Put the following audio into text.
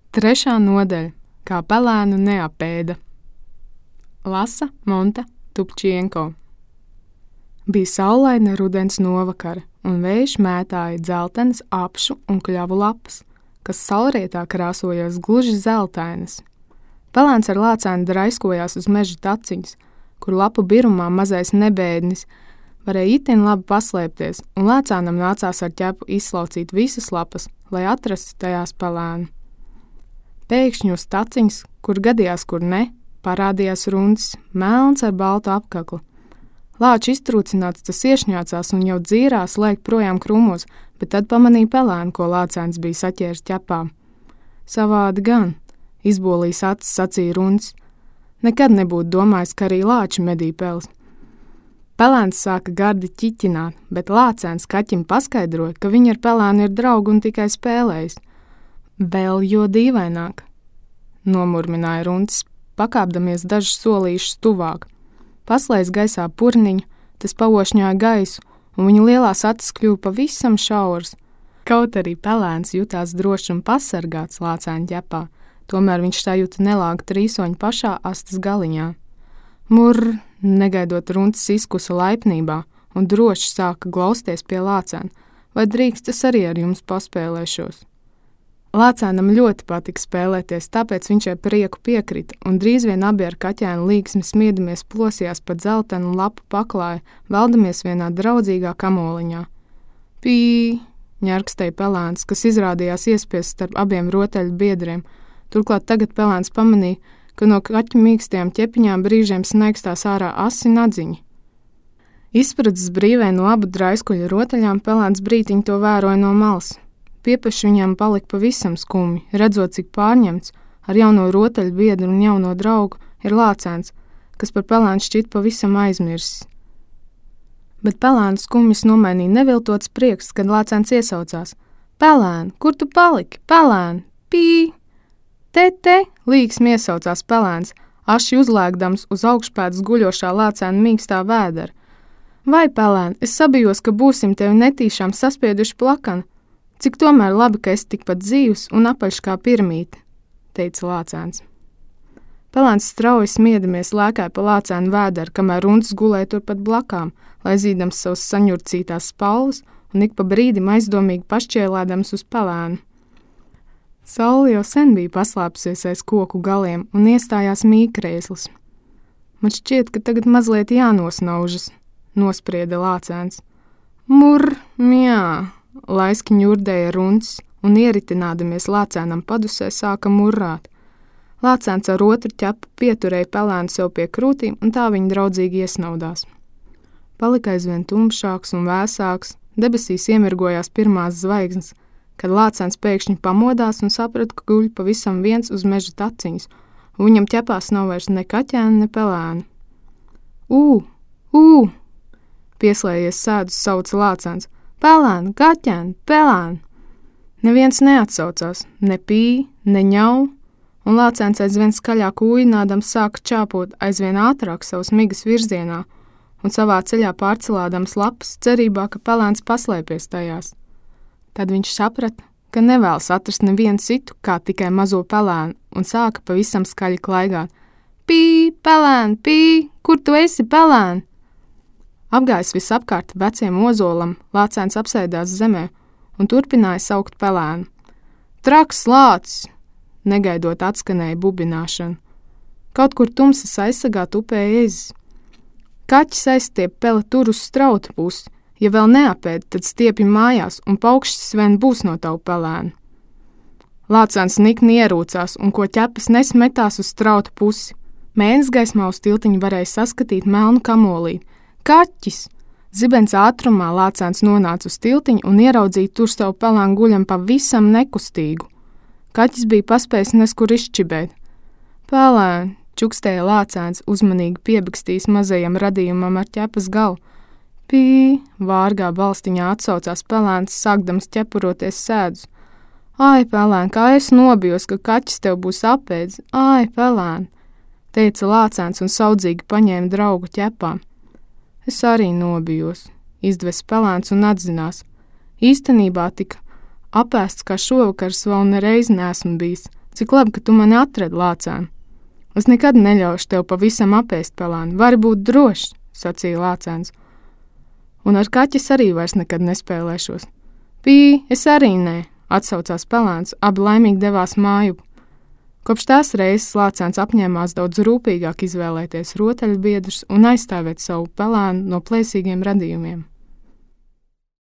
Trešā nodaļa – kā pelēnu neapēda. Lasa Monta Tupčienko. Bija saulaina rudens novakara, un vējš mētāja dzeltenas apšu un kļavu lapas, kas saulrietā krāsojās gluži zeltainas. Pelēns ar lācēnu draiskojās uz meža taciņas, kur lapu birumā mazais nebēdnis varēja itin labi paslēpties, un lācēnam nācās ar ķepu izslaucīt visas lapas, lai atrastu tajās pelēnu. Pēkšņi uz taciņas, kur gadījās, kur ne, parādījās runcis, melns ar baltu apkaklu. Lāču iztrūcināts tas iešņācās un jau dzīrās lēkt projām krūmos, bet tad pamanīja pelēnu, ko lācēns bija saķēris ķepā. Savādi gan, izbolījis acis sacīja runcis. Nekad nebūtu domājis, ka arī lāči medī pels. Pelēns sāka gardi ķiķināt, bet lācēns kaķim paskaidroja, ka viņi ar pelēnu ir draugi un tikai spēlējis. Vēl jo dīvaināk, nomurmināja runcis, pakāpdamies dažus solīšus tuvāk. Paslēdz gaisā purniņu, tas paošņāja gaisu, un viņa lielās acis kļuva pavisam šauras. Kaut arī pelēns jutās droši un pasargāts lācēna ķepā, tomēr viņš sajūta nelāgu trīsoņu pašā astas galiņā. Murr, negaidot runcis izkusa laipnībā, un droši sāka glausties pie lācēna, vai drīkst es arī ar jums paspēlēšos. Lācēnam ļoti patika spēlēties, tāpēc viņš ar prieku piekrita, un drīz vien abi ar kaķēnu līgsmi smiedamies plosījās pa dzeltenu lapu paklāju, veldamies vienā draudzīgā kamoliņā. Pī, ņarkstēja pelēns, kas izrādījās iespiest starp abiem rotaļu biedriem. Turklāt tagad pelēns pamanīja, ka no kaķu mīkstajām ķepiņām brīžiem snaigstās ārā asi nadziņi. Izspradzis brīvē no abu draiskuļu rotaļām, pelēns brītiņu to vēroja no malas. Piepeši viņam palika pavisam skumji, redzot, cik pārņemts ar jauno rotaļu biedru un jauno draugu ir lācēns, kas par pelēnu šķiet pavisam aizmirsis. Bet pelēnu skumjas nomainīja neviltots prieks, kad lācēns iesaucās. Pelēn, kur tu paliki? Pelēn, pī! Te, līgsmi iesaucās pelēns, aši uzlēkdams uz augšpēdas guļošā lācēna mīkstā vēdera. Vai, pelēn, es sabijos, ka būsim tevi netīšām saspieduši plakana. Cik tomēr labi, ka esi tikpat dzīvs un apaļš kā pirmīte, teica lācēns. Pelēns strauji smiedamies lēkāja pa lācēnu vēderu, kamēr runcis gulēja turpat blakām, lai zīdams savus saņurcītās spalvas un ik pa brīdim aizdomīgi pašķielēdams uz pelēnu. Saule jau sen bija paslēpusies aiz koku galiem un iestājās mīkrēslis. Man šķiet, ka tagad mazliet jānosnaužas, nosprieda lācēns. Murr, mjā! Laiski ņurdēja runcis un ieritinādamies lācēnam padusē sāka murrāt. Lācēns ar otru ķepu pieturēja pelēnu sev pie krūtīm un tā viņi draudzīgi iesnaudās. Palika aizvien tumšāks un vēsāks, debesīs iemirgojās pirmās zvaigznes, kad lācēns pēkšņi pamodās un saprata, ka guļ pavisam viens uz meža taciņas, un viņam ķepās nav vairs ne kaķēna, ne pelēna. Pieslējies sēdus sauca lācēns. Pelēn, kaķēn, pelēn! Neviens neatsaucās, ne pī, ne ņau, un lācēns aizvien skaļāk ūjinādams sāka čāpot aizvien ātrāk savas migas virzienā un savā ceļā pārcelādams lapas cerībā, ka pelēns paslēpies tajās. Tad viņš saprata, ka nevēlas atrast nevienu citu, kā tikai mazo pelēnu, un sāka pavisam skaļi klaigāt. Pī, pelēn, pī, kur tu esi, pelēn? Apgājis visapkārt veciem ozolam, lācēns apsēdās zemē un turpināja saukt pelēnu. Traks lācis! Negaidot atskanēja bubināšana. Kaut kur tumsas aizsagā tupēja ezis. Kaķis aizstiep pele tur uz strauta pusi. Ja vēl neapēd, tad stiepi mājās un paukšķis vien būs no tavu pelēnu. Lācēns nikni ierūcās un ko ķepas nesmetās uz strauta pusi. Mēnes gaismā uz tiltiņu varēja saskatīt melnu kamolīti. Kaķis! Zibens ātrumā lācēns nonāca uz tiltiņu un ieraudzīja tur savu pelēnu guļam pavisam nekustīgu. Kaķis bija paspējis neskur izšķibēt. Pelēn, čukstēja lācēns, uzmanīgi piebakstījis mazajam radījumam ar ķepas galu. Pī, vārgā balstiņā atsaucās pelēns, sākdams ķepuroties sēdus. Ai, pelēn, kā es nobijos, ka kaķis tev būs apēdis. Ai, pelēn, teica lācēns un saudzīgi paņēma draugu ķepām. Es arī nobijos, izdves pelēns un atzinās. Īstenībā tik apēsts kā šovakars vēl nereiz neesmu bijis, Cik labi, ka tu mani atradi, lācēn. Es nekad neļaušu tev pavisam apēst, pelēni. Vari būt drošs, sacīja lācēns. Un ar kaķis arī vairs nekad nespēlēšos. Pī, es arī nē, atsaucās pelēns, abi laimīgi devās māju. Kopš tās reizes lācēns apņēmās daudz rūpīgāk izvēlēties rotaļbiedrus un aizstāvēt savu pelēnu no plēsīgiem radījumiem.